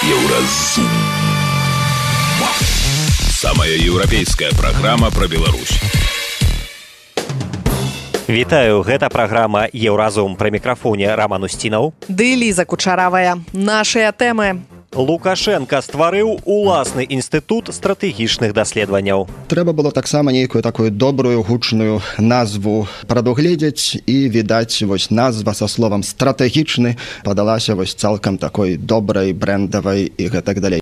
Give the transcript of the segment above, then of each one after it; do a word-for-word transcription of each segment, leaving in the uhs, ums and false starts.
Еўразум. Самая еўрапейская праграма пра Беларусь. Вітаю, гэта праграма «Еўразум». Пры мікрафоне Раман Устінаў. Ды Ліза Кучаравая. Нашыя тэмы. Лукашенко стварыў уласны інстытут стратэгічных даследаванняў. Трэба было таксама нейкую такую добрую гучную назву прадугледзець, і, відаць, вось назва са словам «стратэгічны» падалася вось цалкам такой добрай, брэндавай і гэтак далей.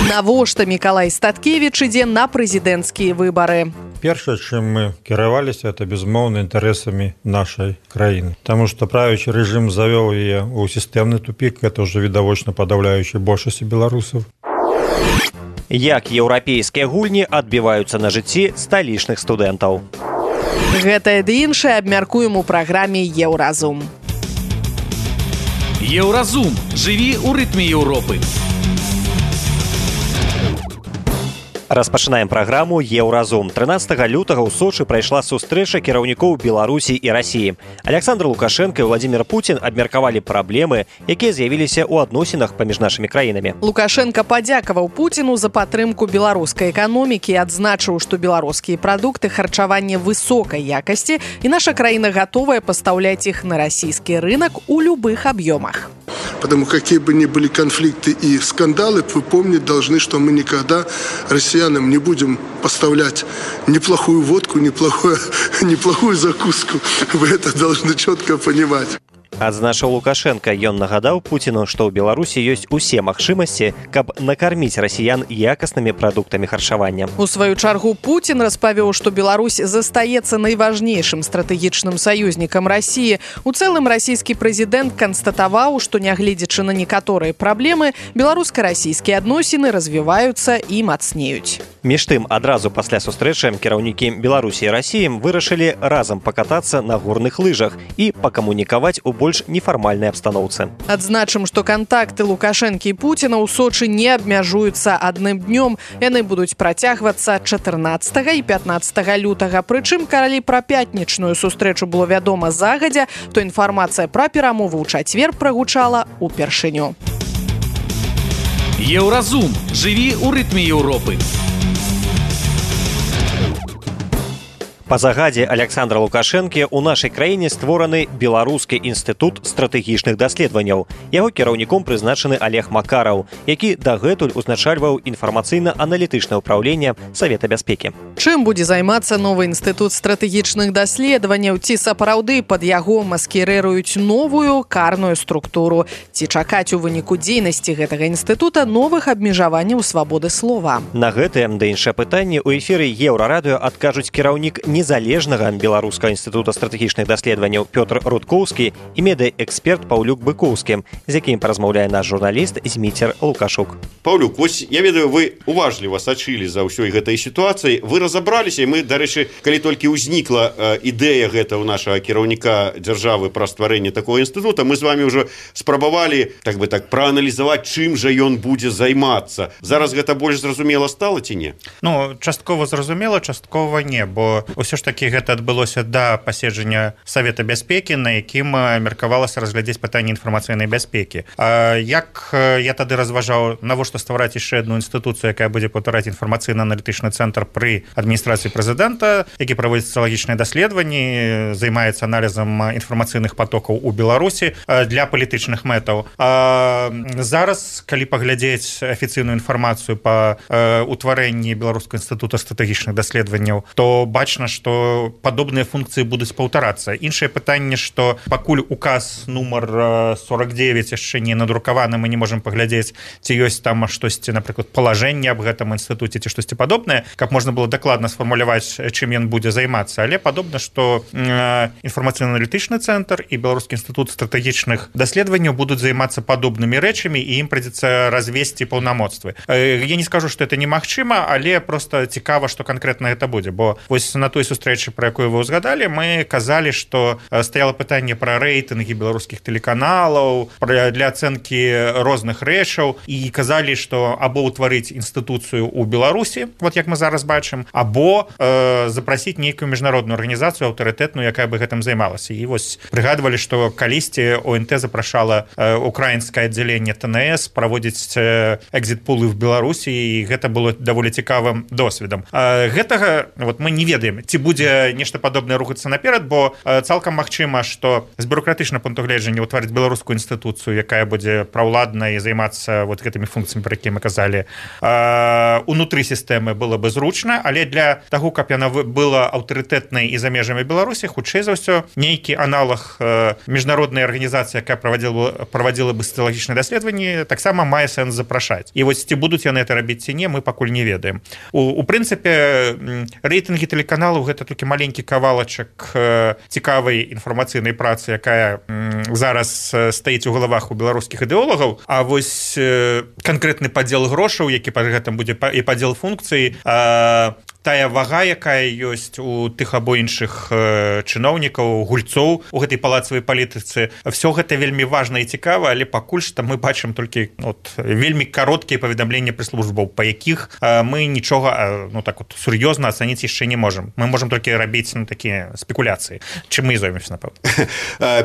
Навошта Мікалай Статкевіч ідзе на прэзідэнцкія выбары? Першае, чым мы кіраваліся, это безумоўна інтарэсамі нашай краіны. Таму што правячы рэжым завёў яе ў сістэмны тупік, гэта ўжо відавочна падаўляючай большасці беларусаў. Як еўрапейскія гульні адбіваюцца на жыцці сталічных студэнтаў? Гэтае ды іншае абмяркуем у праграме «Еўразум». Еўразум. Жыві ў рытме Еўропы. Распачынаем праграму «Еўразум». трынаццатага лютага ў Сочы прайшла сустрэча кіраўнікоў Беларусі і Расіі. Александр Лукашенко і Владимир Путин абмеркавалі праблемы, якія з'явіліся ў адносінах паміж нашымі краінамі. Лукашенко падзякаваў Пуціну за падтрымку беларускай эканомікі і адзначыў, што беларускія прадукты харчавання высокай якасці і наша краіна гатовая пастаўляць іх на расійскі рынок у любых аб'ёмах. Потому какие бы ни были конфликты и скандалы, вы помнить должны, что мы никогда россиянам не будем поставлять неплохую водку, неплохую, неплохую закуску. Вы это должны четко понимать. Адзначыў Лукашенко, ён нагадаў Пуціну, што ў Беларусі ёсць усе магчымасці, каб накарміць расіян якаснымі прадуктамі харчавання. У сваю чаргу Путін распавёў, што Беларусь застаецца найважнейшым стратэгічным саюзнікам Расіі. У цэлым расійскі прэзідэнт канстатаваў, што нягледзячы на некаторыя праблемы, беларуска-расійскія адносіны развіваюцца і мацнеюць. Між тым, адразу пасля сустрэчы кіраўнікі Беларусі і Расіі вырашылі разам пакатацца на горных лыжах і пакамунікаваць у больш нефармальнай абстаноўцы. Адзначым, што кантакты Лукашэнкі і Пуціна ў Сочы не абмяжуюцца адным днём. Яны будуць працягвацца чатырнаццатага і пятнаццатага лютага. Прычым, калі пра пятнічную сустрэчу было вядома загадзя, то інфармацыя пра перамову ў чацвер прагучала ўпершыню. Еўразум. Жыві ў рытме Еўропы. Па загадзе Александра Лукашэнкі ў нашай краіне створаны Беларускі інстытут стратэгічных даследаванняў. Яго кіраўніком прызначаны Олег Макараў, які дагэтуль узначальваў інфармацыйна-аналітычнае ўпраўленне Савета бяспекі. Чым будзе займацца новы інстытут стратэгічных даследаванняў? Ці сапраўды пад яго маскіруюць новую карную структуру? Ці чакаць у выніку дзейнасці гэтага інстытута новых абмежаванняў свабоды слова? На гэтае ды іншае пытанне ў эфіры Еўрарадыё адкажуць кіраўнік незалежнага Беларускага інстытута стратэгічных даследаванняў Пётр Рудкоўскі і медыэксперт Паўлюк Быкоўскі, з якім паразмаўляе наш журналіст Зміцер Лукашук. Паўлюк, вось я ведаю, вы уважліва сачылі за ўсёй гэтай сітуацыі. Вы разабраліся, і мы, дарэчы, калі толькі ўзнікла э, ідэя гэта ў нашага кіраўніка дзяржавы пра стварэнне такого інстытута, мы з вами ўжо спрабавалі, так бы так, прааналізаваць, чым жа ён будзе займацца. Зараз гэта больш зразумела стала ці не? Ну, часткова зразумела, часткова не, бо ўсё ж такі гэта адбылося да паседжання Савета бяспекі, на якім меркавалася разглядзець пытанне інфармацыйнай бяспекі. А як я тады разважаў, навошта ствараць яшчэ адну інстытуцыю, якая будзе паўтараць інфармацыйна-аналітычны цэнтр пры адміністрацыі прэзідэнта, які праводзіць соціалагічныя даследаванні, займаецца аналізам інфармацыйных потокаў у Беларусі для палітычных мэтаў. А зараз, калі паглядзець афіцыйную інфармацыю па утварэнні Беларускага інстытута стратэгічных даследаванняў, то бачна, што падобныя функцыі будуць паўтарацца. Іншае пытанне, што пакуль указ нумар сорок девять яшчэ не надрукаваны, мы не можам паглядзець, ці ёсць там штосьці, напрыклад, палажэнне аб гэтым інстытуце ці штосьці падобнае, каб можна было дакладна сфармуляваць, чым ён будзе займацца. Але падобна, што інфармацыйна-аналітычны цэнтр і Беларускі інстытут стратэгічных даследаванняў будуць займацца падобнымі рэчамі, і ім прыйдзецца развесці паўнамоцтвы. Я не скажу, што это немагчыма, але проста цікава, што канкрэтна гэта будзе, бо вось на той той сустрэчы, про якую вы узгадали, мы казалі, что стаяло пытанне про рэйтынгі беларускіх тэлеканалаў, для ацэнкі розных рэчаў, і казалі, что або ўтварыць інстытуцыю ў Беларусі, вот як мы зараз бачым, або э, запрасіць нейкую міжнародную арганізацыю аўтарытэтную, якая бы гэтым займалася. І вось прыгадвалі, что калісьці ОНТ запрашала э, украінскае аддзяленне ТНС праводзіць э, экзит-пулы в Беларусі, і гэта было даволі цікавым досведам. Э, гэтага вот мы не ведаем, ці будзе нешта падобнае рухацца наперад, бо э, цалкам магчыма, што з бюрократычнага пункту гледжання ўтварыць беларускую інстытуцыю, якая будзе праўладна і займацца вот гэтымі функцыямі, про якія мы казалі, э, унутры сістэмы было бы зручна, але для таго, каб яна была аўтарытэтнай і за межамі Беларусі, хутчэй за ўсё нейкі аналог э, міжнароднай арганізацыі, якая правадзіла, правадзіла бы сацыялагічныя даследаванні, таксама мае сэнс запрашаць. І вось ці будуць яны это рабіць ці не, мы пакуль не ведаем. У, у прынцыпе, рэйтынгі тэлеканалаў гэта толькі маленькі кавалачак э, цікавай інфармацыйнай працы, якая м, зараз стаіць у галавах у беларускіх ідэолагаў, а вось э, канкрэтны падзел грошаў, які па гэтым будзе і падзел функцый, э, тая вага, якая ёсць у тых або іншых э, чыноўнікаў, гульцоў у гэтай палацавай палітыцы, все гэта вельмі важна і цікава, але пакуль што мы бачым толькі от, вельмі кароткія паведамленні прэс-службаў, па якіх э, мы нічога э, ну, так вот, сур'ёзна ацаніць яшчэ не можам. Мы можам толькі рабіць ну, такія спекуляцыі, чым мы і зоймемся, напэўна.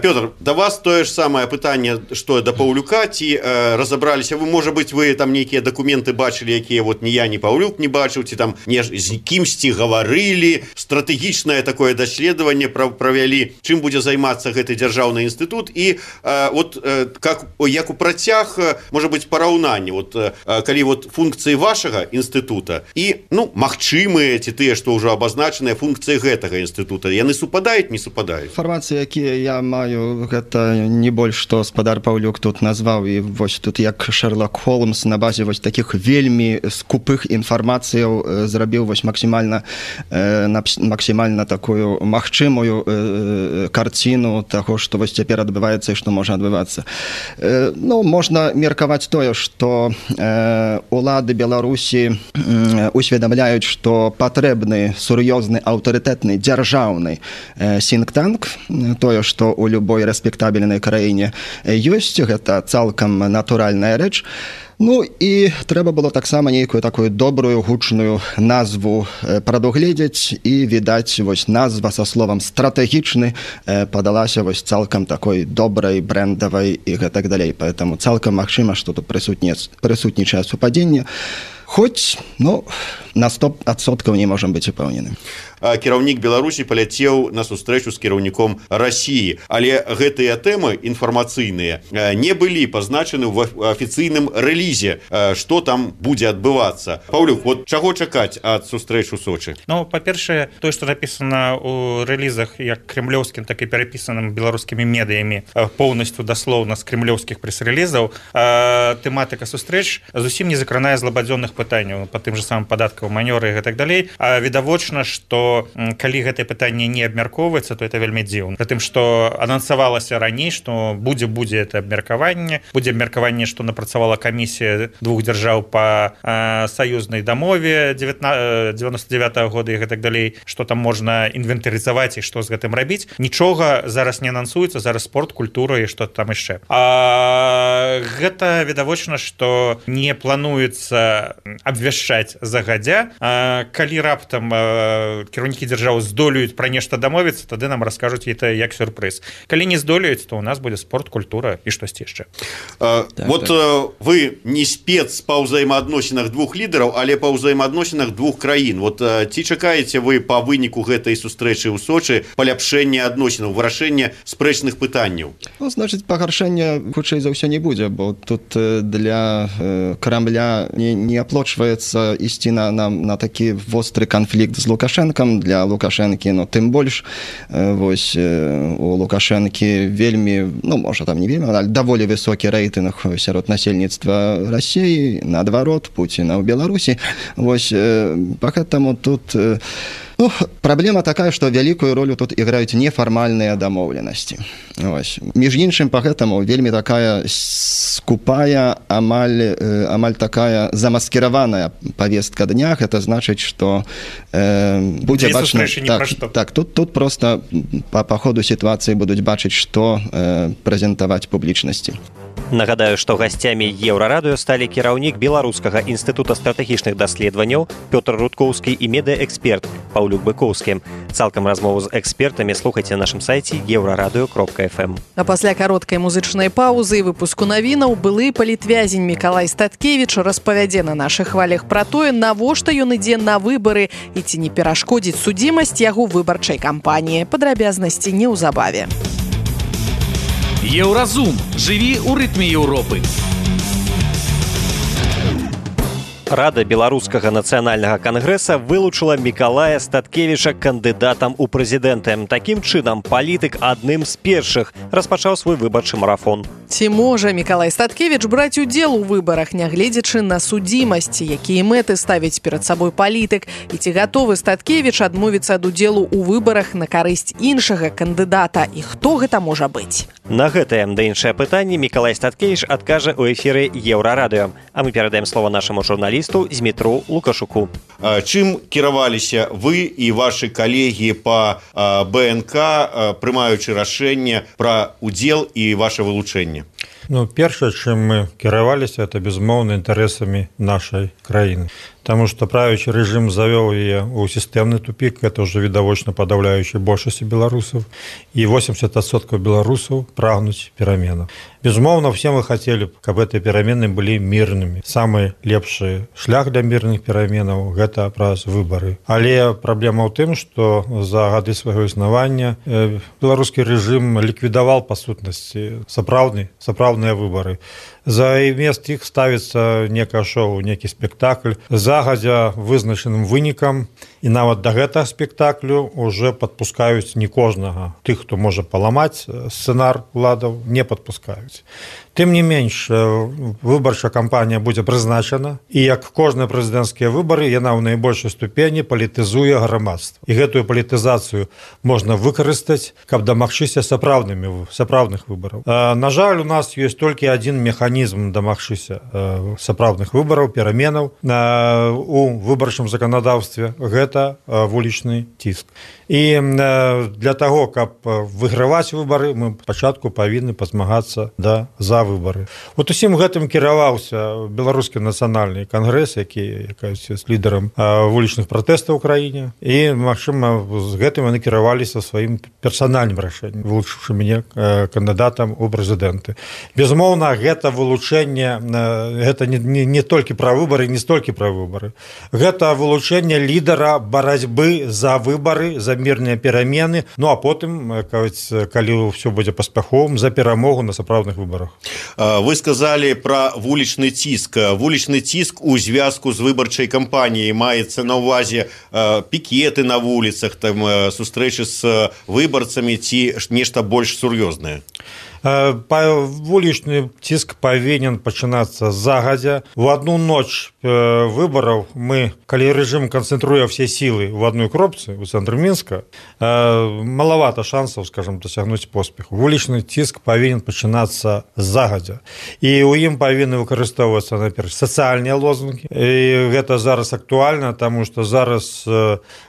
Пётр, да вас тое ж самае пытанне, што да Паўлюка, ці э, разабраліся вы, можа быць, вы там нейкія дакументы бачылі, якія вот ні я, ні Паўлюк не бачыў, ці там не з кімсьці гаварылі, стратэгічнае такое даследаванне правялі, чым будзе займацца гэты дзяржаўны інстытут, і э, вот э, как, як у працяг, можа быць, параўнанне, вот, э, калі вот функцыі вашага інстытута і, ну, магчымыя, ці тыя, што ўжо абазначаныя функцыі гэтага інстытута, яны супадаюць, не супадаюць? Інфармацыі, якія я маю, гэта не больш, што спадар Паўлюк тут назваў, і вось тут як Шерлок Холмс на базе вось такіх вельмі скупых інфармацыяў зрабіў вось максімальна э, максімальна такую магчымую э, карціну таго, што вось цяпер адбываецца і што можа адбывацца. Э, ну, можна меркаваць тое, што э, улады Беларусі э, усведамляюць, што патрэбны сур'ёзны аўтарытэтны дзяржаўны э, сінк-танк, тое, што ў любой рэспектабельнай краіне ёсць, гэта цалкам натуральная рэч. Ну і трэба было таксама нейкую такую добрую гучную назву прадугледзець, і відаць вось назва са словам стратэгічны падалася вось цалкам такой добрай, брэндавай і гэтак далей. Поэтому цалкам магчыма, што тут прысутнічае супадзенне. Хоць, ну, на сто адсоткаў не можам быць упэўнены. Кіраўнік Беларусі паляцеў на сустрэчу з кіраўніком Расіі, але гэтыя тэмы інфармацыйныя не былі пазначаны ў афіцыйным рэлізе, што там будзе адбывацца. Паўлюк, вот чаго чакаць ад сустрэч у Сочы? Ну, па-першае, тое, што напісана ў рэлізах як кремлёўскім, так і перапісаным беларускімі медыямі поўнасцю даслоўна з кремлёўскіх прэс-рэлізаў, тэматыка сустрэч зусім не закранае злабадзённых пытанняў па тым же самым падаткавым манёры і гэтак далей. Відавочна, што калі гэтае пытанне не абмяркоўваецца, то это вельмі дзіўна. Прытым, што анансавалася раней, што будзе будзе это абмеркаванне, будзе абмеркаванне, што напрацавала камісія двух дзяржаў па э, саюзнай дамове дзевяносто дзевятага года і гэтак далей, што там можна інвентарызаваць і што з гэтым рабіць. Нічога зараз не анансуецца, зараз спорт, культура і што там яшчэ. А гэта відавочна, што не плануецца абвяшчаць загадзя. А калі раптам э, кіраўнікі дзяржаў здолеюць пра нешта дамовіцца, тады нам раскажуць это як сюрпрыз. Калі не здолеюць, то у нас будзе спорт, культура і штосьці яшчэ. А, так, вот так. Вы не спец па ўзаемаадносінах двух лідараў, але па ўзаемаадносінах двух краін. Вот ці чакаеце вы па выніку гэтай сустрэчы ў Сочы паляпшэння адносінаў, вырашэння спрэчных пытанняў? Ну, значыць, пагаршэння хутчэй за ўсё не будзе, бо тут для Крамля не, не аплочваецца ісці на, на, на такі востры канфлікт з Лукашэнкам. Для Лукашэнкі, ну, тым больш, вось, у Лукашэнкі вельмі, ну, можа, там не вельмі, але даволі высокі рэйтынг сярод насельніцтва Расіі, наадварот, Пуціна ў Беларусі. Вось, па гэтаму тут Ну, праблема такая, што вялікую ролю тут іграюць нефармальныя дамоўленасці. Між іншым, па гэтаму вельмі такая скупая, амаль, амаль такая замаскіраваная павестка дня. Гэта значыць, што э, будзе бачна... Так, так, тут, тут проста па, па ходу сітуацыі будуць бачыць, што э, прэзентаваць публічнасці. Нагадаю, што гасцямі Еўрарадыё сталі кіраўнік Беларускага інстытута стратэгічных даследаванняў Пётр Рудкоўскі і медыаэксперт Паўлюк Быкоўскі. Цалкам размову з экспертамі слухайце на нашым сайце еўрарадыё кропка эф эм. А пасля кароткай музычнай паўзы і выпуску навінаў былы палітвязень Мікалай Статкевіч распавядзе на нашых хвалях пра тое, навошта ён ідзе на выбары і ці не перашкодзіць судзімасць яго выбарчай кампаніі. Падрабязнасці неўзабаве. Еўразум. Жыві ў рытме Еўропы. Рада Беларускага нацыянальнага кангрэса вылучыла Мікалая Статкевіча кандыдатам у прэзідэнты. Такім чынам, палітык адным з першых распачаў свой выбарчы марафон. Ці можа Мікалай Статкевіч браць удзел у выбарах, нягледзячы на судзімасць, якія мэты ставіць перад сабой палітык, і ці гатовы Статкевіч адмовіцца ад удзелу ў выбарах на карысць іншага кандыдата, і хто гэта можа быць? На гэтае да іншае пытанне Мікалай Статкевіч адкажа ў эфіры Еўрарадыё. А мы перадаем слова нашаму журналісту Змітру Лукашуку. Чым кіраваліся вы і вашы калегі па бэ эн ка, прымаючы рашэнне пра удзел і ваше вылучэнне? Ну, першае, чым мы кіраваліся, это безумоўна інтарэсамі нашай краіны. Потому что правящий режим завел ее в системный тупик, это уже видовочно подавляющей большости белорусов, и восемьдесят процентов белорусов прагнуть переменов. Безумовно, все мы хотели, чтобы эти перемены были мирными. Самый лепший шлях для мирных переменов – это праз выборы. Але проблема в том, что за годы своего основания белорусский режим ликвидовал, по сутности, сапраўдные, сапраўдные выборы. За мест их ставится некое шоу, некий спектакль, загадзя вызначаным вынікам, і нават да гэтага спектаклю уже падпускаюць не кожнага. Тых, хто можа паламаць сцэнар уладаў, не падпускаюць. Тым не менш, выбарчая кампанія будзе прызначана, і як кожныя прэзідэнцкія выбары, яна ў найбольшай ступені палітызуе грамадства. І гэтую палітызацыю можна выкарыстаць, каб дамагчыся сапраўднымі сапраўдных выбараў. На жаль, у нас ёсць толькі адзін механізм дамагчыся сапраўдных выбараў, пераменаў у выбарчым заканадаўстве. Гэта вулічны ціск. І для таго, каб выграваць выбары, мы спачатку павінны пазмагацца да за выбары. Вот усім гэтым кіраваўся Беларускі нацыянальны кангрэс, які якаясь з лідарам вулічных пратэстаў у краіне. І, магчыма, з гэтым яны кіраваліся сваім персанальным рашэннем, вылучыўшы мяне кандыдатам у прэзідэнты. Безумоўна, гэта вылучэнне, гэта не, не, не толькі пра выбары, не столькі пра выбары. Гэта вылучэнне лідара барацьбы за выбары, за мірныя перамены, ну а потым, калі ўсё будзе паспяховым, за перамогу на сапраўдных выбарах. Вы сказали про вулічны ціск. Вулічны ціск у звязку з выбарчай кампаніяй маецца на ўвазе пікеты на вуліцах, там сустрэчы з выбарцамі ці нешта больш сур'ёзнае? Вулічны ціск павінен пачынацца загадзя. У одну ноч выбараў мы, калі рэжым канцэнтруе ўсе сілы в одной кропцы у цэнтры Мінска, малавата шансаў, скажем, дасягнуць поспеху. Вулічны ціск павінен пачынацца загадзя. І ў ім павінны выкарыстоўвацца, наперш, сацыяльныя лозунгі. І гэта зараз актуальна, таму што зараз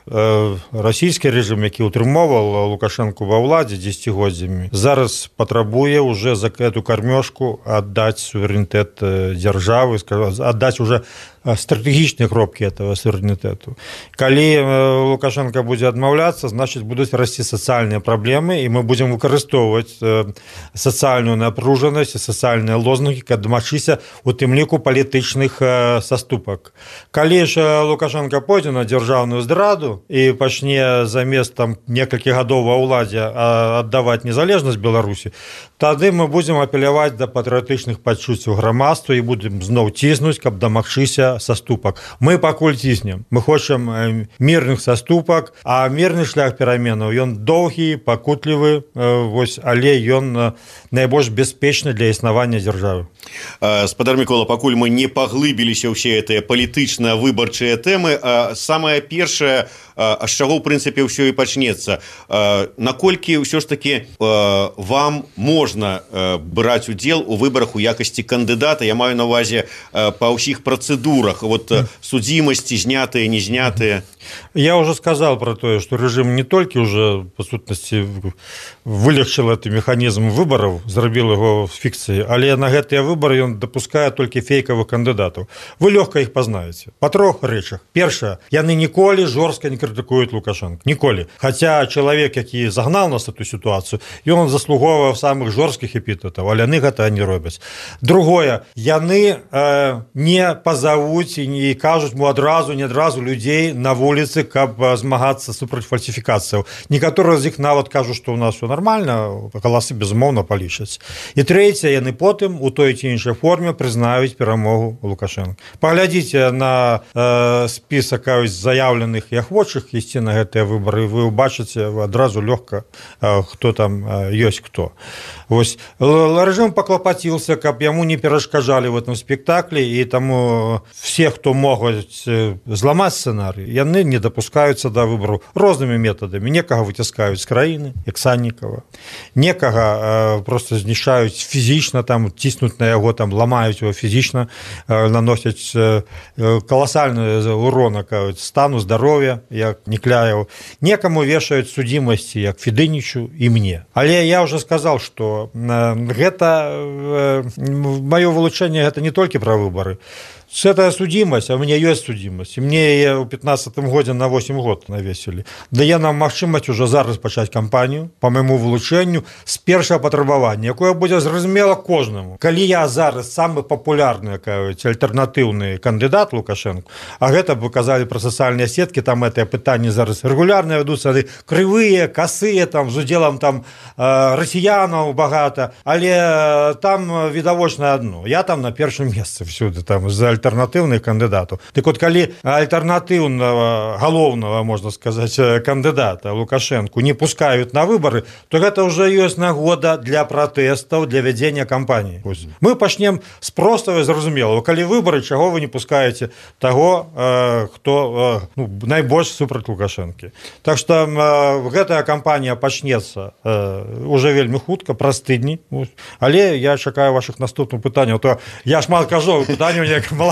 расійскі рэжым, які ўтрымоўваў Лукашэнку ва ўладзе дзесяцігоддзямі, зараз патрабуе уже за эту кормежку отдать суверенитет державы, отдать уже стратегічныя кропкі этого суверэнітэту. Калі Лукашенко будзе адмаўляцца, значит, будуць расці сацыяльныя праблемы, і мы будзем выкарыстоўваць сацыяльную напружанасць і сацыяльныя лозунгі, каб дамагчыся у тым ліку палітычных саступак. Калі ж Лукашенко пойдзе на дзяржаўную здраду і пачне замест там некалькі гадоў ва ўладзе аддаваць незалежнасць Беларусі, тады мы будзем апеляваць да патрыятычных пачуццяў грамадства і будзем зноў ціснуць, каб дамагчыся саступак. Мы пакуль ціснем. Мы хочам мірных саступак, а мірны шлях пераменаў, ён доўгі, пакутлівы, вось, але ён найбольш бяспечны для існавання дзяржавы. Спадар Мікола, пакуль мы не паглыбіліся ўсе гэтыя палітычныя выбарчыя тэмы, самае першае, а з чаго, ў прынцыпе, ўсё і пачнецца. Наколькі ўсё ж такі вам можна браць удзел у выбарах у якасці кандыдата? Я маю на ўвазе па ўсіх працэдурах, вот судзімасці, знятыя, не знятыя. Я уже сказал про то, что режим не только уже, по сутности, вылегчил этот механизм выборов, зрабил его фикцией, але на гэтыя выборы он допускает только фейковых кандидатов. Вы легко их познаете. По трех речах. Первое. Яны ніколі жорстко не критикуют Лукашенко. Ніколі. Хотя человек, який загнал нас в эту ситуацию, и он заслуговывал самых жорстких эпитетов, але яны гэта не робят. Другое. Яны э, не позовут и не кажут му адразу, не адразу людей на вулицы, каб змагацца супраць фальсификацияў. Некаторыя з іх нават кажуць, што ў нас все нормально, галасы безумоўна палічаць. І трэцяе, яны потым у той ці іншай форме прызнаюць перамогу Лукашенко. Паглядзіце на э, спісак заяўленых і ахвочых ісці на гэтыя выбары, вы ўбачыце адразу лёгка, э, хто там э, ёсць хто. Вось рэжым паклапаціўся, каб яму не перашкаджалі в этом спектаклі, і таму все, хто могуць зламаць сцэнарый, яны не допускаюцца да выбару рознымі метадамі. Некага выціскаюць з краіны, як Саннікава, некага э, просто знішаюць фізічна, там ціснуць на яго, там ламаюць его фізічна, э, наносяць э, каласальны урон стану здароўя, як Некляеву. Некаму вешаюць судзімасці, як Федынічу і мне. Але я уже сказал, что э, гэта э, маё вылучэнне гэта не толькі пра выбары. Это судимость, а у меня есть судимость. И мне в пятнадцатым годзе на восемь год навесили. Дае нам магчымасць уже зараз пачаць кампанію по моему вылучэнню з першага патрабавання, якое будзе зразумела кожнаму. Калі я зараз самы папулярны, кажуць, альтэрнатыўны кандыдат Лукашенко, а гэта вы казалі пра сацыяльныя сеткі, там гэтыя пытанні зараз рэгулярна вядуцца, крывыя, касыя, там з удзелам там расіянаў багата, але там відавочна адно. Я там на першым месцы всюды там за альтэрнатыўных кандыдатаў. Так вот, калі альтэрнатыўнага, галоўнага, можна сказаць, кандыдата Лукашенко не пускаюць на выбары, то гэта ўжо ёсць нагода для пратэстаў, для вядзення кампаніі. Мы пачнем з простага і зразумелага. Калі выбары, чаго вы не пускаеце таго, хто ну, найбольш супраць Лукашэнкі. Так што гэтая кампанія пачнецца уже вельмі хутка, праз тыдні. Але я чакаю вашых наступных пытанняў. То я шмат кажу, пытанняў неяк мало.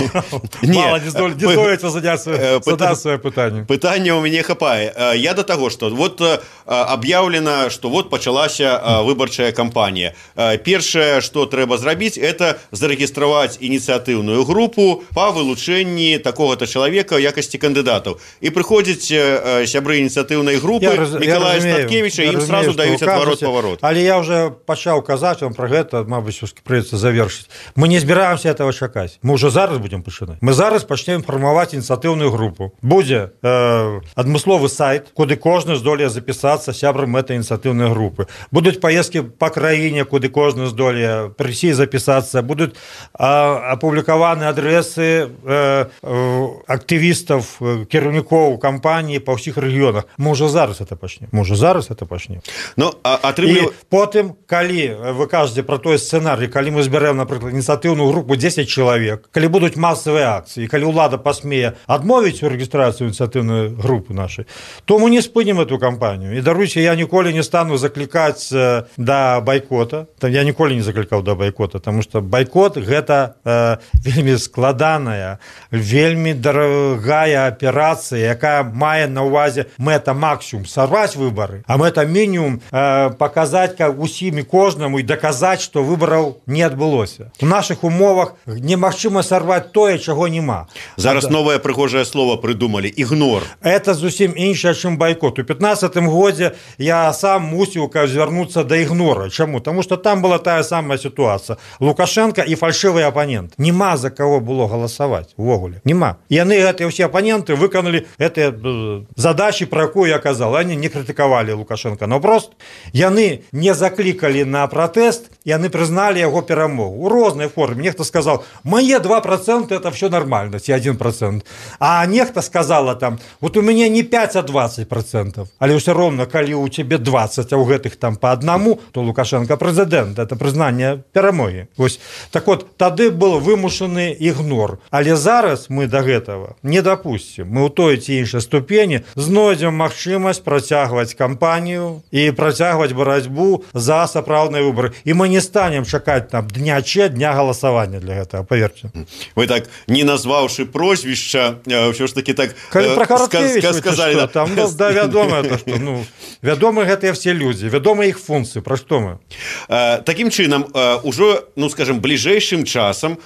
Мало не здолеецца задаць свае пытанне. Пытання ў мяне хапае. Я да таго, што вот аб'яўлена, што вот пачалася выбарчая кампанія. Першае, што трэба зрабіць, это зарэгістраваць ініцыятыўную групу па вылучэнні такога-то чалавека ў якасці кандыдатаў. І прыходзіць сябры ініцыятыўнай групы Мікалая Статкевіча, і ім сразу даюць адварот-паварот. Але я уже пачаў казаць вам пра гэта, мабыць, прыйдзецца завершыць. Мы не збіраемся этого чакаць. Мы ўжо зараз будем пачынаць. Мы зараз пачнем фармаваць ініцыятыўную групу. Будзе э, адмысловы сайт, куды кожны здолее запісацца сябрам этой ініцыятыўнай групы. Будуць паездкі па краіне, куды кожны здолее прыйсці запісацца. Будуць э, апублікаваны адрэсы э, э, актывістаў, кіраўнікоў кампаніі па ўсіх рэгіёнах. Мы ўжо зараз это пачнем. Мы ўжо зараз это пачнем. Ну, а, атрымлю... І потым, калі вы кажаце пра той сцэнарый, калі мы збярэм, напрыклад, ініцыятыўную групу дзесяць чалавек, калі будуць масавыя акцыі, калі ўлада пасмее адмовіць у рэгістрацыю ініцыятыўнай групы нашай, то мы не спынім эту кампанію. І даруйце, я ніколі не стану заклікаць да байкота. Я ніколі не заклікаў да байкота, таму што байкот гэта э, вельмі складаная, вельмі дарагая аперацыя, якая мае на ўвазе мэта максімум сарваць выбары, а мэта мінімум э, паказаць усім і кожнаму і даказаць, што выбараў не адбылося. У нашых умовах немагчыма сарваць тое, чаго няма. Зараз новае прыгожае слово прыдумалі — ігнор. Это зусім іншае, чым байкот. У пятнадцатым годзе я сам мусіў звярнуцца да ігнора. Чаму? Таму што там была тая самая сітуацыя. Лукашенко і фальшывы апанент. Нема за каго было галасаваць увогуле. Нема. Яны гэтыя ўсе апаненты выканалі гэтыя задачы, пра якую я казал. Они не крытыкавалі Лукашенко. Наўпрост яны не заклікалі на пратэст, яны прызналі яго перамогу. У рознай форме. Нехта сказал: «Мои два процента это все нормально, те один процент». А нехта сказала там: «Вот у меня не пять, а двадцать процентов». Але все равно, коли у тебя двадцать, а у гэтых там по одному, то Лукашенко президент. Это признание перамоги. Ось Так вот, тады был вымушаны ігнор. Але зараз мы до гэтага не допустим. Мы ў той ці іншай ступені знойдзем магчымасць працягваць кампанію і працягваць барацьбу за сапраўдныя выборы. І мы не станем чакаць там дня че, дня галасавання для гэтага, поверьте. Вы так, не назваўшы прозвішча, ўсё ж таки так Калі про Караткевіча, сказали, что, там, ну, да, вядома, то, что, ну, вядомы гэтыя все люди, вядоы іх функцыі, пра што мы? Такім чынам, ужо, ну, скажем, бліжэйшым часам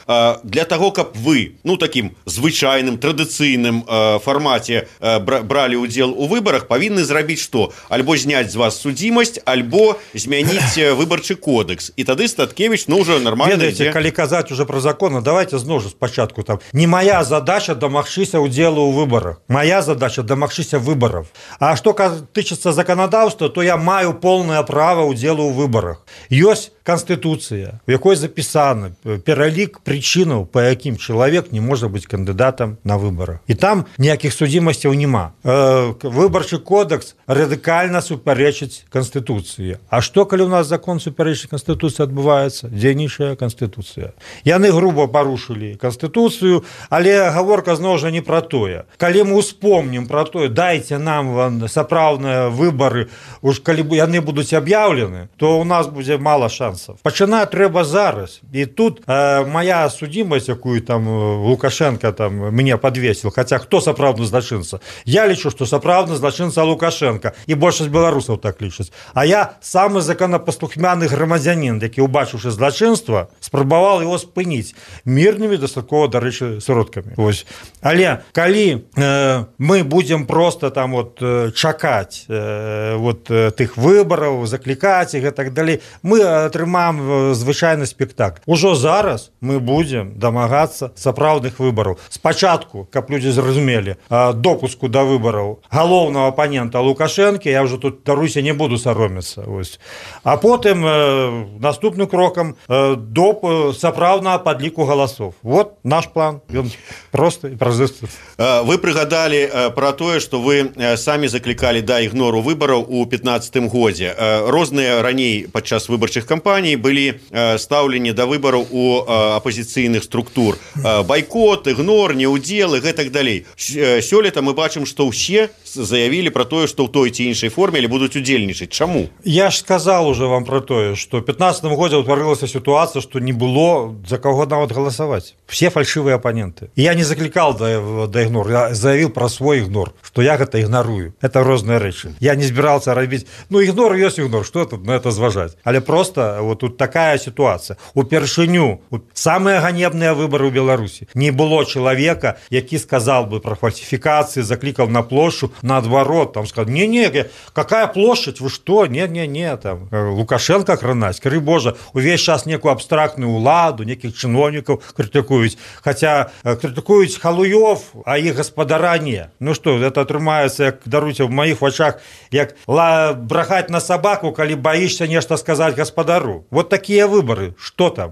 для таго, каб вы, ну, такім звычайным, традыцыйным фармаце бралі ўдзел у выбарах, павінны зрабіць што? Альбо зняць з вас судзімасць, альбо змяніць выбарчы кодекс. І тады Статкевич, ну, уже нормально Ведаеце, ідзе. Калі казаць уже про законы, давайте зноў жа спачатку там. Не моя задача дамагчыся ўдзелу ў выбарах. Моя задача дамагчыся выбаров. А што тычыцца законодаўства, то я маю полное право ўдзелу ў выбарах. Ёсць Конституция, в якой записано пералік причинаў, по якім чалавек не можа быць кандыдатам на выборах. І там ніякіх судзімасцяў няма. Э, выбарчы кодекс радыкальна супярэчыць Конституцыі. А што, калі у нас закон супярэчыць Конституцыі адбываецца? Дзейнічая Конституцыя. Яны грубо парушылі Конституцыю, але гаворка зноў жа не пра тое. Калі мы успомнім пра тое, дайце нам сапраўдныя выбары, уж калі яны будуць аб'яўлены, то у нас будзе мала шансов. Пачынаць трэба зараз. І тут э, моя судзімасць, якую там Лукашенко там мне подвесил, хотя хто сапраўдны злачынца? Я лічу, што сапраўдны злачынца Лукашенко, і большасць беларусаў так лічаць. А я самы законапаслухмяны грамадзянін, які, убачыўшы злачынства, спрабаваў его спыніць мірнымі, дастаткова, дарэчы, сродкамі. Вось. Але калі э, мы будзем просто там вот чакаць э, вот тых выбараў, заклікаць іх і так далей, мы атрымаем звычайны спектакль. Ужо зараз мы будзем дамагацца сапраўдных выбараў. Спачатку, каб людзі зразумелі, допуску да выбараў галоўнага апанента Лукашэнкі, я ўжо тут, даруйся, не буду саромецца. Ось. А потым э, наступным крокам э, доп сапраўднага падліку галасоў. Вот наш план. Ён просты і празрысты. Вы прыгадалі пра тое, што вы самі заклікалі да ігнору выбараў у пятнаццатым годзе. Розныя раней падчас выбарчых кампаній былі стаўленні да выбараў у апозіцыйных структур. Байкот, ігнор, неўдзел і гэтак далей. Сёлета мы бачым, што ўсе заявілі пра тое, што ў той ці іншай форме будуць удзельнічаць. Чаму? Я ж сказал уже вам про тое, што ў пятнаццатым годзе ўтварылася сітуацыя, што не было за каго нават галасаваць. Все фальшивыя апаненты. І я не заклікал да, да ігнор, я заявіў пра свой ігнор, што я гэта ігнарую. Это розныя рэчы. Я не збіраўся рабіць, ну ігнор ёсць ігнор, што тут на это зважаць. Але просто вот тут такая ситуация. Упершыню, самые ганебные выборы в Беларуси. Не было человека, які сказал бы про фальсификации, закликал на площадь, наоборот, там сказал, не-не, какая площадь, вы что, не-не-не, там, Лукашенко кранаць, кры Божа, увесь час некую абстрактную уладу, неких чиновников критикуюць, хотя критикуюць халуёв, а их господара не. Ну что, это атрымаецца, як, даруйте, в моих вачах, як брахаць на собаку, калі боишься нешта сказать господару. Вот такие выборы. Что там?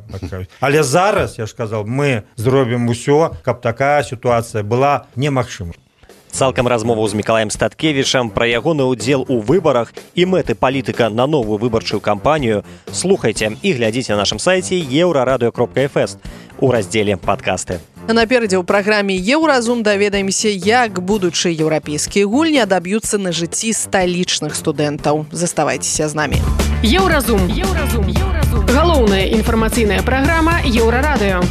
Але зараз, я ж сказал, мы зробім усё, каб такая ситуация была немагчыма. Цалкам размову з Мікалаем Статкевічам пра ягоны ўдзел у выбарах і мэты палітыка на новую выбарчую кампанію слухайце і глядзіце на нашым сайце еўрарадыё кропка эф эс у раздзеле «Падкасты». Наперадзе ў праграме «Еўразум» даведаемся, як будучыя еўрапейскія гульні адаб'юцца на жыцці сталічных студэнтаў. Заставайцеся з намі. Еўразум. Еўразум. Еўразум. Галоўная інфармацыйная праграма «Еўрарадыё».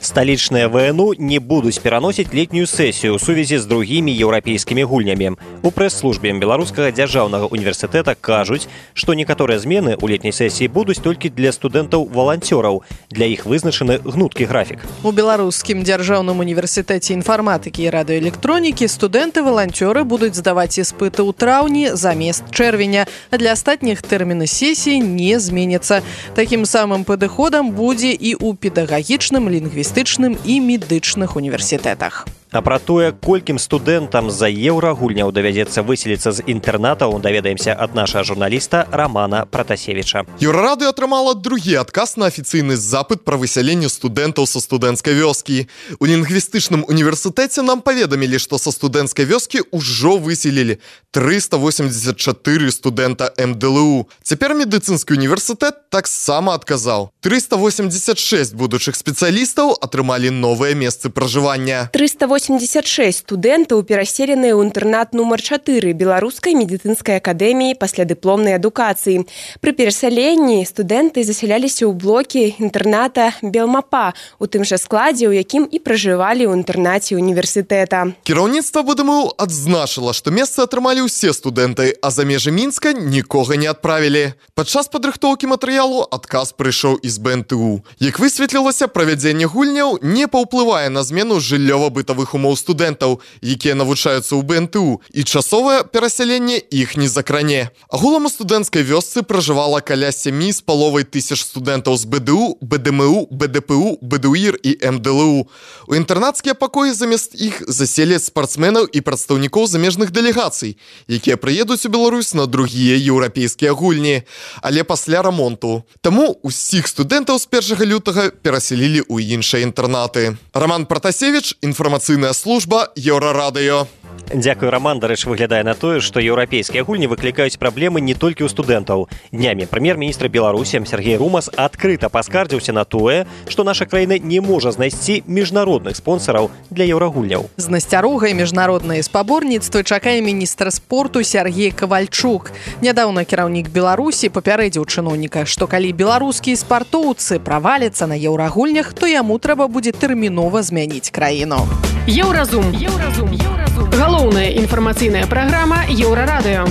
Сталічныя ВНУ не будуць пераносіць летнюю сесію ў сувязі з другімі еўрапейскімі гульнямі. У прэс-службе Беларускага дзяржаўнага універсітэта кажуць, што некаторыя змены ў летняй сесіі будуць толькі для студэнтаў-валанцёраў. Для іх вызначаны гнуткі графік. У Беларускім дзяржаўным універсітэце інфарматыкі і радыёэлектронікі студэнты-валанцёры будуць здаваць іспыты ў траўні замест чэрвеня, а для астатніх тэрміны сесіі не зменяцца. Такім самым падыходам будзе і ў педагагічным, лінгвістычным і медычных універсітэтах. А пра тое, колькім студэнтам за еўрагульняў давядзецца выселіцца з інтэрнатаў, даведаемся ад нашага журналіста Романа Пратасевіча. Еўрарады атрымала другі адказ на афіцыйны запыт пра высяленне студэнтаў са студэнцкай вёскі. У лінгвістычным універсітэце нам паведамілі, што са студэнцкай вёскі ўжо выселілі трыста восемьдесят чатыры студэнта эм дэ эл у. Цяпер медыцынскі універсітэт таксама адказаў. трыста восемьдесят шесть будучых спецыялістаў атрымалі новыя месцы пражывання. трыста восемьдесят шесть студэнтаў пераселеныя ў інтэрнат нумар чатыры беларускай медыцынскай акадэміі паслядыпломнай адукацыі. Пры перасяленні студэнты засяляліся ў блокі інтэрната Белмапа, у тым жа складзе, у якім і пражывалі ў інтэрнаце універсітэта. Кіраўніцтва бэ дэ эм у адзначыла, што месцы атрымалі ўсе студэнты, а за межы Мінска нікога не адправілі. Падчас падрыхтоўкі матэрыялу адказ прыйшоў і з бэ эн тэ у. Як высветлілася, правядзенне гульняў не паўплывае на змену жыллёва-бытавых умоў студэнтаў, якія навучаюцца ў бэ эн тэ у, і часовае перасяленне іх не закране. Агулам у студэнцкай вёсцы пражывала каля сямі з паловай тысяч студэнтаў з бэ дэ у, бэ дэ эм у, бэ дэ пэ у, бэ дэ у ір і эм дэ эл у. У інтэрнацкія пакоі замест іх заселяць спартсменаў і прадстаўнікоў замежных дэлегацый, якія прыедуць у Беларусь на другія еўрапейскія гульні, але пасля рамонту. Таму усіх студэнтаў з першага лютага перасялілі ў іншыя інтэрнаты. Роман Пратасевіч, інфармацыйная служба Еўрарадыё. Дзякую, Роман. Дарэчы, выглядае на тое, што еўрапейскія гульні выклікаюць праблемы не толькі ў студэнтаў. Днямі прэм'ер-міністр Беларусі Сергей Румас адкрыта паскардзіўся на тое, што наша краіна не можа знайсці міжнародных спонсараў для еўрагульняў. З насцярогай міжнародныя спаборніцтвы чакае міністр спорту Сергей Кавальчук. Нядаўна кіраўнік Беларусі папярэдзіў чыноўніка, што калі беларускія спартоўцы праваляцца на еўрагульнях, то яму трэба будзе тэрмінова змяніць краіну. Еўразум. Еўразум. Еўразум. Галоўная інфармацыйная праграма Еўрарадыё.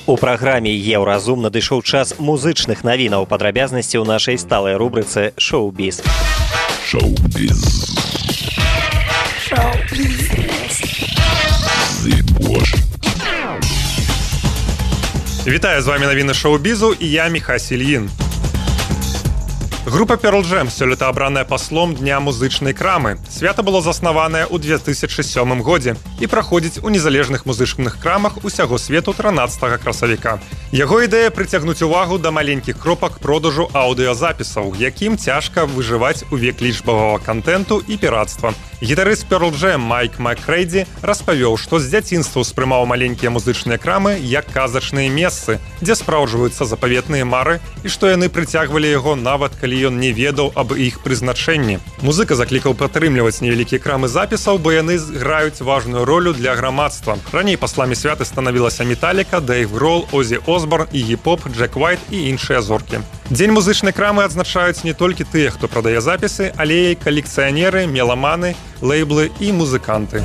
У праграме «Еўразум» надышоў час музычных навінаў, падрабязнасці ў нашай сталай рубрыцы «Шоу-біз». Шоу-біз. Шоу-біз. Вітаю, з вами навіны шоу-бізу і я Міхась Ільін. Група Pearl Jam сёлета абраная паслом Дня музычнай крамы. Свята было заснаванае ў две тысячы сёмым годзе і праходзіць у незалежных музычных крамах усяго свету трынаццатага красавіка. Яго ідэя прыцягнуць увагу да маленькіх кропак продажу аўдыёзапісаў, якім цяжка выжываць у век лічбавага кантэнту і піратства. Гітарыст Pearl Jam Майк Маккрэйді распавёў, што з дзяцінства ўспрымаў маленькія музычныя крамы як казачныя месцы, дзе спраўджваюцца запаветныя мары і што яны прыцягвалі яго нават калі ён не ведаў аб іх прызначэнні. Музыка заклікаў падтрымліваць невялікія крамы запісаў, бо яны граюць важную ролю для грамадства. Раней пасламі святы станавілася Металіка, Дэйв Грол, Озі Осборн і гіп-хоп, Джек Уайт і іншыя зоркі. Дзень музычнай крамы адзначаюць не толькі тыя, хто прадае запісы, але і калекцыянеры, меламаны, лейблы і музыканты.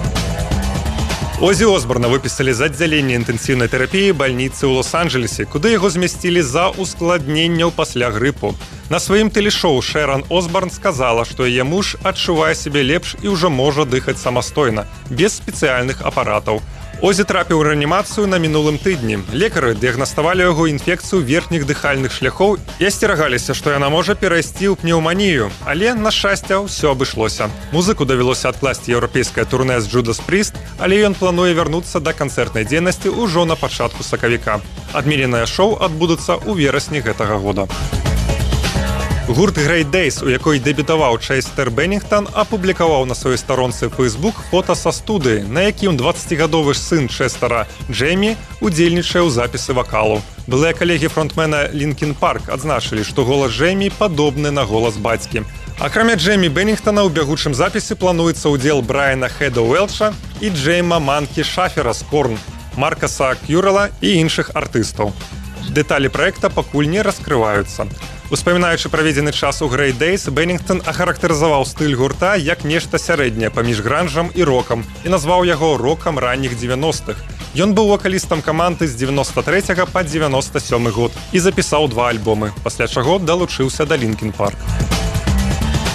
Озі Осборна выпісалі з аддзялення інтэнсіўнай тэрапіі бальніцы ў Лос-Анджелесе, куды яго змясцілі за ускладненняў пасля грыпу. На сваім тэлешоу Шэран Осборн сказала, што яе муж адчувае сябе лепш і ўжо можа дыхаць самастойна, без спецыяльных апаратаў. Озі трапіў у рэанімацыю на мінулым тыдні. Лекары дыягнаставалі яго інфекцыю верхніх дыхальных шляхоў і асцерагаліся, што яна можа перайсці ў пнеўманію, але, на шчасце, ўсё абышлося. Музыку давялося адкласці еўрапейскае турнэ з Judas Priest, але ён плануе вярнуцца да канцэртнай дзейнасці ўжо на пачатку сакавіка. Адмененае шоу адбудуцца ў верасні гэтага года. Гурт Great Days, у якой дэбютаваў Чэстер Беннінгтон, апублікаваў на сваёй старонцы Facebook фота са студыі, на якім дваццацігадовы сын Чэстера Джеймі удзельнічае ў запісы вакалу. Былыя калегі фронтмена Лінкін Парк адзначылі, што голас Джеймі падобны на голас бацькі. Акрамя Джеймі Беннінгтона ў бягучым запісе плануецца ўдзел Брайана Хеда Уэлча і Джейма Манкі Шафера з Корн, Маркаса Кюрела і іншых артыстаў. Дэталі праекта пакуль не раскрываюцца. Успамінаючы праведзены час у Great Days, Беннінгтон ахарактарызаваў стыль гурта як нешта сярэдняе паміж гранжам і рокам і назваў яго рокам ранніх дзевяностых. Ён быў вакалістам каманды з дзевяноста трэцяга па дзевяноста сёмы год і запісаў два альбомы, пасля чаго далучыўся да Лінкін Парк.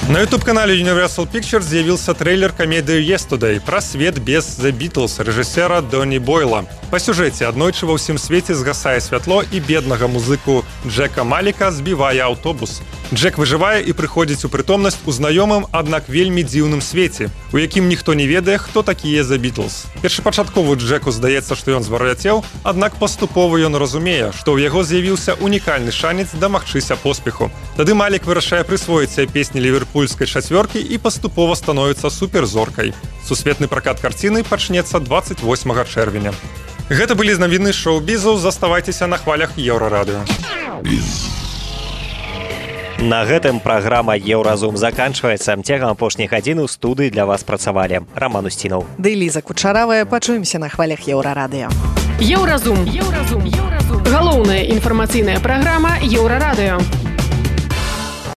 На ютуб-канале Universal Pictures з'явіўся трэйлер камедыі Yesterday пра свет без The Beatles рэжысера Доні Бойла. Па сюжэце аднойчы ва ўсім свеце згасае святло і беднага музыку Джека Маліка збівае аўтобус. Джек выжывае і прыходзіць у прытомнасць у знаёмым, аднак вельмі дзіўным свеце, у якім ніхто не ведае, хто такія The Beatles. Першапачаткову Джеку здаецца, што ён звар'яцеў, аднак паступова ён разумее, што ў яго з'явіўся унікальны шанец дамагчыся поспеху. Тады Малік вырашае прысвоіць сябе песні ліверпульскай чацвёркі і паступова становіцца суперзоркай. Сусветны пракат карціны пачнецца дваццаць восьмага чэрвеня. Гэта былі навіны шоу-бізу, заставайцеся на хвалях Еўрарадыё. На гэтым праграма «Еўразум» заканчваецца. Цягам апошніх гадзін у студыі для вас працавалі Роман Устінаў. Ды Ліза Кучаравая. Пачуемся на хвалях Еўрарадыё. Еўразум. Еўразум. Галоўная інфармацыйная праграма Еўрарадыё.